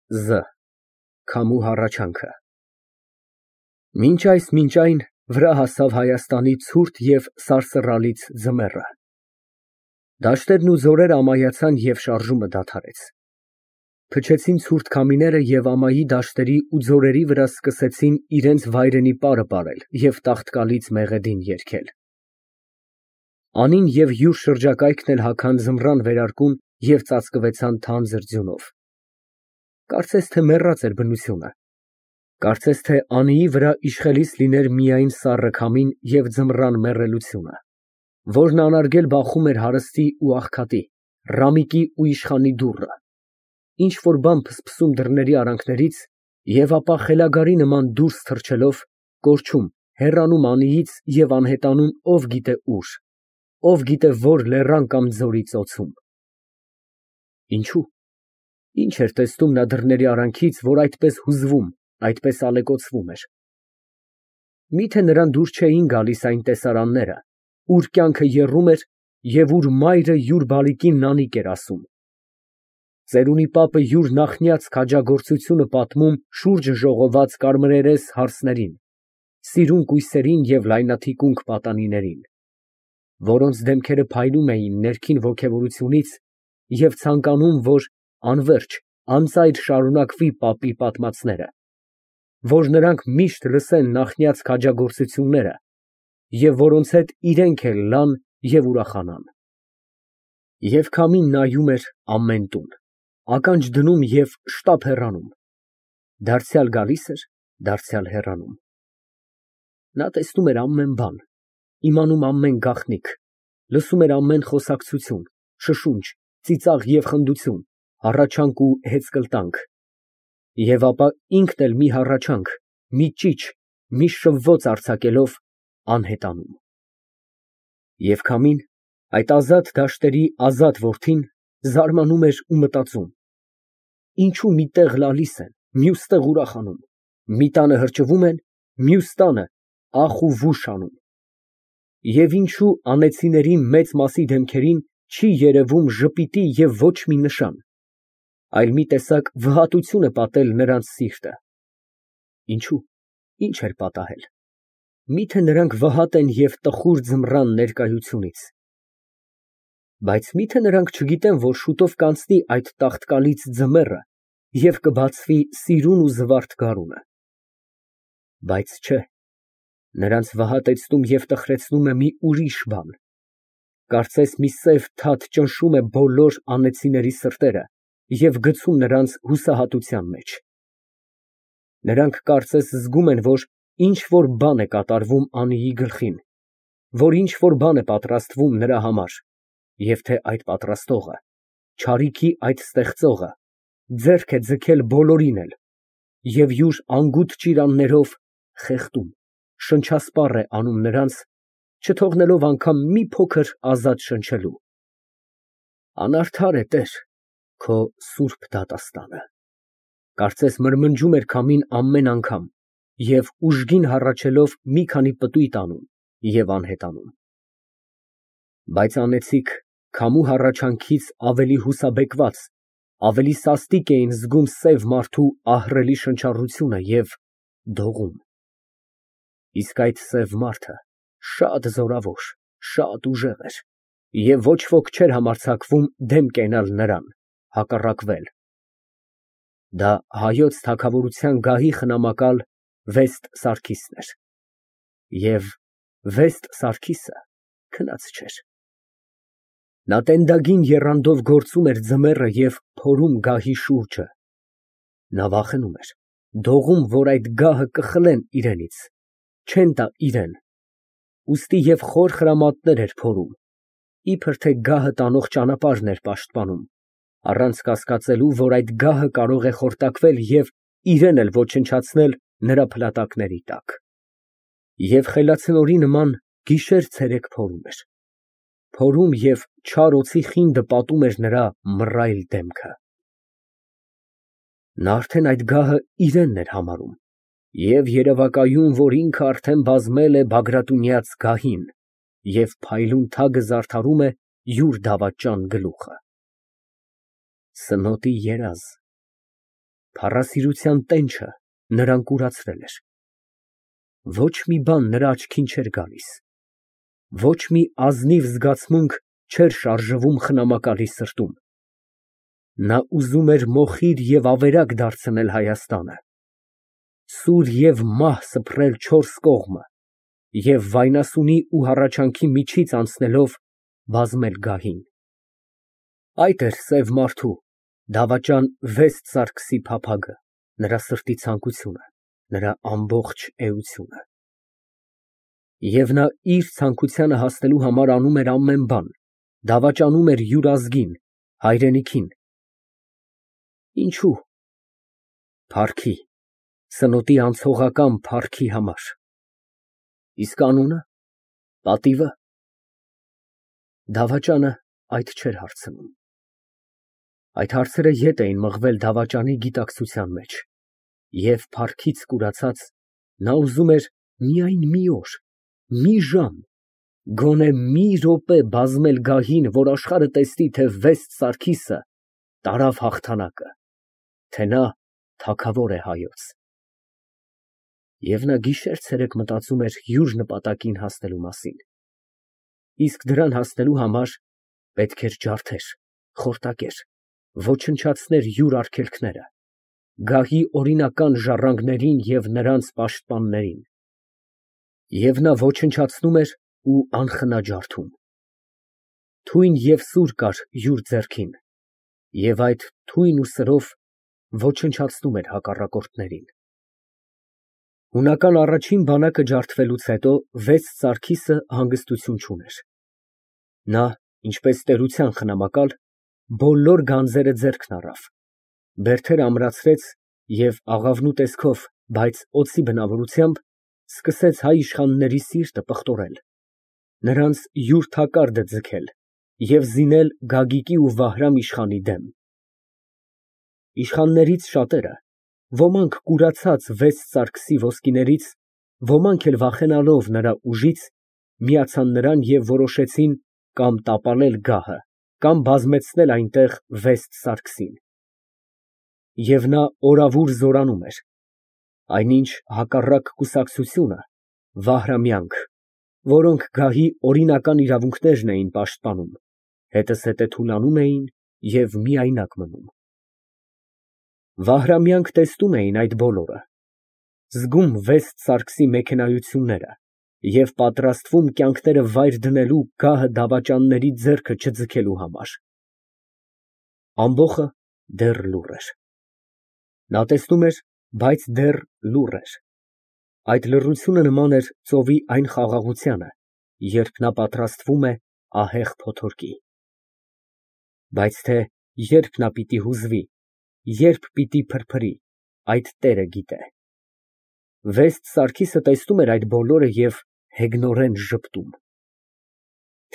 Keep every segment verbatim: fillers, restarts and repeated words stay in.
Զ Քամու հառաչանքը Մինչ այս մինչ այն վրա հասավ Հայաստանի ցուրտ և սարսռալից ձմեռը, դաշտերն ու ձորերը ամայացան և շարժումը դադարեց, փչեցին ցուրտ քամիները և ամայի դաշտերի ու ձորերի վրա սկսեցին իրենց վայրենի պարը պարել և տաղտկալից մեղեդին երգել, Անին և յուր շրջակայքն էլ հագան ձմռան վերարկուն և ծածկվեցան թանձր ձյունով, կարծես թե մեռած էր բնությունը, կարծես թե Անիի վրա իշխելիս լիներ միայն սառը քամին և ձմռան մեռելությունը, որն անարգել բախում էր հարստի ու աղքատի, ռամիկի ու իշխանի դուռը, ինչ֊որ բան փսփսում դռների արանքներից և ապա խելագարի նման դուրս թռչելով, կորչում, հեռանում Անիից և անհետանում ով գիտե ուր, ով գիտե որ լեռան կամ ձորի ծոցում։ Ինչո՞ւ, ինչ էր տեսնում նա դռների արանքից, որ այդպես հուզվում, այդպես ալեկոծվում էր։ Միթե նրան դուր չէին գալիս այն տեսարանները, ուր կյանքը եռում էր և ուր մայրը յուր բալիկին Նանիք էր ասում։ Ծերունի պապը յուր նախնյաց քաջագործությունը պատմում շուրջը ժողոված կարմրերես հարսներին, սիրուն կույսերին և լայնաթիկունք պատանիներին, որոնց դեմքերը փայլում էին ներքին ոգևորությունից և ցանկանում, որ անվերջ, անծայր շարունակվի պապի պատմածները, որ նրանք միշտ լսեն նախնյաց քաջագործությունները և որոնց հետ իրենք էլ լան և ուրախանան։ Եվ քամին նայում էր ամեն տուն, ականջ դնում և շտապ հեռանում, դարձյալ գալիս էր, դարձյալ հեռանում։ Նա տեսնում էր ամեն բան, իմանում ամեն գաղտնիք, լսում էր ամեն խոսակցություն, շշունչ, ծիծաղ և խնդություն, հառաչանք ու հեծկլտանք, և ապա ինքն էլ մի հառաչանք, մի ճիչ, մի շվոց արձակելով, անհետանում։ Եվ քամին, այդ ազատ դաշտերի ազատ որդին, զարմանում էր ու մտածում. ինչո՞ւ մի տեղ լալիս են, մյուս տեղ ուրախանում, մի տանը հրճվում են, մյուս տանը ախ ու վուշ անում, և ինչո՞ւ անեծիների մեծ մասի դեմքերին չի երևում ժպիտի և ոչ մի նշան, այլ մի տեսակ վհատություն է պատել նրանց սիրտը։ Ինչո՞ւ, ի՞նչ էր պատահել, միթե նրանք վհատ են և տխուր ձմռան ներկայությունից։ Բայց մի՞թե նրանք չգիտեն, որ շուտով կանցնի այդ տաղտկալից ձմեռը և կբացվի սիրուն ու զվարթ գարունը։ Բայց չէ, նրանց վհատեցնում և տխրեցնում է մի ուրիշ բան, կարծես մի սև թաթ ճնշում է բոլոր անեծիների սրտերը և գցում նրանց հուսահատության մեջ։ Նրանք կարծես զգում են, որ ինչ֊որ բան է կատարվում Անիի գլխին, որ ինչ֊որ բան է պատրաստվում նրա համար, և թե այդ պատրաստողը, չարիքի այդ ստեղծողը, ձեռք է ձգել բոլորին էլ և յուր անգութ ճիրաններով խեղդում, շնչասպառ է անում նրանց, չթողնելով անգամ մի փոքր ազատ շնչելու։ Անարդար է, Տեր, քո սուրբ դատաստանը, կարծես մրմնջում էր քամին ամեն անգամ և ուժգին հառաչելով մի քանի պտույտ անում և անհետանում։ Բայց անեծիկ քամու հառաչանքից ավելի հուսաբեկված, ավելի սաստիկ էին զգում սև մարդու ահռելի շնչառությունը և դողում։ Իսկ այդ սև մարդը շատ զորավոր, շատ ուժեղ էր, և ոչ ոք չէր համարձակվում դեմ կենալ նրան, հակառակվել։ Դա հայոց թագավորության գահի խնամակալ Վեստ Սարգիսն էր, և Վեստ Սարգիսը քնած չէր։ Նա տենդագին եռանդով գործում էր ձմեռը և փորում գահի շուրջը։ Նա վախենում էր, դողում, որ այդ գահը կխլեն իրենից, չեն տա իրան, ուստի և խոր խրամատներ էր փորում, իբր թե գահը տանող ճանապարհն էր պաշտպանում, առանց կասկածելու, որ այդ գահը կարող է խորտակվել և իրեն էլ ոչնչացնել նրա փլատակների տակ։ Եվ խելացնորի նման գիշեր֊ցերեկ փորում էր, փորում և չար օձի խինդը պատում էր նրա մռայլ դեմքը։ Նա արդեն այդ գահը իրենն էր համարում և երևակայում, որ ինքը արդեն բազմել է Բագրատունյաց գահին և փայլուն թագը զարդարում է յուր դավաճան գլուխը։ Սնոտի երազ, Փառասիրության տենչը նրան կուրացրել էր։ Ոչ մի բան նրա աչքին չէր գալիս, ոչ մի ազնիվ զգացմունք չէր շարժվում խնամակալի սրտում։ Նա ուզում էր մոխիր և ավերակ դարձնել Հայաստանը, սուր և մահ սփռել չորս կողմը և վայնասունի ու հառաչանքի միջից անցնելով բազմել գահին։ Այդ էր սև մարդու, դավաճան Վեստ Սարգսի փափագը, նրա սրտի ցանկությունը, նրա ամբողջ էությունը։ Եվ նա իր ցանկությանը հասնելու համար անում էր ամեն բան, դավաճանում էր յուր ազգին, հայրենիքին։ Ինչո՞ւ։ Փառքի, սնոտի անցողական փառքի համար։ Իսկ անունը, պատիվը։ Դավաճանը այդ չէր հարցնում։ Այդ հարցերը ետ էին մղվել դավաճանի գիտակցության մեջ, և փառքից կուրացած, նա ուզում էր միայն մի օր, մի ժամ, գոնե մի րոպե բազմել գահին, որ աշխարհը տեսնի, թե Վեստ Սարգիսը տարավ հաղթանակը, թե նա թագավոր է հայոց։ Եվ նա գիշեր֊ցերեկ մտածում էր յուր նպատակին հասնելու մասին։ Իսկ դրան հասնելու համար պետք էր ջարդեր, խորտակեր, ոչնչացներ յուր արգելքները, գահի օրինական ժառանգներին և նրանց պաշտպաններին։ Եվ նա ոչնչացնում էր ու անխնա ջարդում։ Թույն և սուր կար յուր ձեռքին, և այդ թույն ու սրով ոչնչացնում էր հակառակորդներին։ Հունական առաջին բանակը ջարդվելուց հետո Վեստ Սարգիսը հանգստություն չուներ։ Նա, ինչպես տերության խնամակալ, բոլոր գանձերը ձեռքն առավ, բերդերը ամրացրեց և աղավնու տեսքով, բայց օձի բնավորությամբ, սկսեց հայ իշխանների սիրտը պղտորել, նրանց յուր թակարդը ձգել և զինել Գագիկի ու Վահրամ իշխանի դեմ։ Իշխաններից շատերը, ոմանք կուրացած Վեստ Սարգսի ոսկիներից, ոմանք էլ վախենալով նրա ուժից, միացան նրան և որոշեցին կամ տապալել գահը, կամ բազմեցնել այնտեղ Վեստ Սարգսին։ Եվ նա օրավուր զորանում էր, այնինչ հակառակ կուսակցությունը, Վահրամյանք, որոնք գահի օրինական իրավունքներն էին պաշտպանում, հետզհետե թուլանում էին և միայնակ մնում։ Վահրամյանք տեսնում էին այդ բոլորը, զգում Վեստ Սարգսի մեքենայությունները և պատրաստվում կյանքները վայր դնելու գահը դավաճանների ձեռքը չձգելու համար։ Ամբոխը դեռ լուռ էր։ Նա տեսնում էր, բայց դեռ լուռ էր։ Այդ լռությունը նման էր ծովի այն խաղաղությանը, երբ նա պատրաստվում է ահեղ փոթորկի։ Բայց թե երբ նա պիտի հուզվի, երբ պիտի փրփրի, այդ տերը գիտե։ Վեստ Սարգիսը տեսնում էր այդ բոլորը և հեգնորեն ժպտում։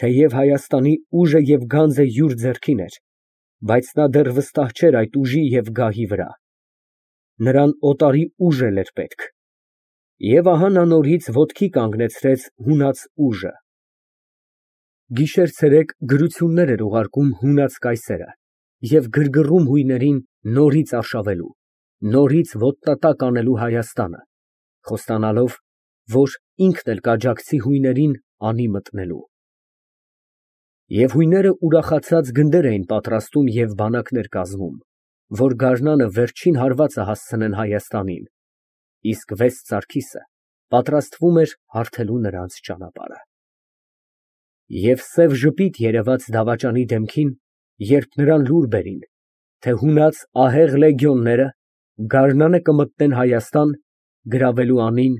Թեև Հայաստանի ուժը և գանձը յուր ձեռքին էր, բայց նա դեռ վստահ չէր այդ ուժի և գահի վրա։ Նրան օտարի ուժ էլ էր պետք։ Եվ ահա նա նորից ոտքի կանգնեցրեց հունած ուժը։ Գիշեր֊ցերեկ գրություններ էր ուղարկում հունած կայսերը և գրգռում հույներին նորից արշավելու, նորից ոտնատակ անելու Հայաստանը, խոստանալով, որ ինքն էլ կաջակցի հույներին անի մտնելու։ Եվ հույները ուրախացած գնդեր էին պատրաստում և բանակներ կազմում, որ գարնանը վերջին հարվածը հասցնեն Հայաստանին, իսկ Վեստ Սարգիսը պատրաստվում էր հարթելու նրանց ճանապարհը։ Եվ սև ժպիտ երևաց դավաճանի դեմքին, երբ նրան լուր բերին, թե հունած ահեղ լեգիոնները գարնանը կմտնեն Հայաստան, գրավելու անին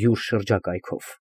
յուր շրջակայքով։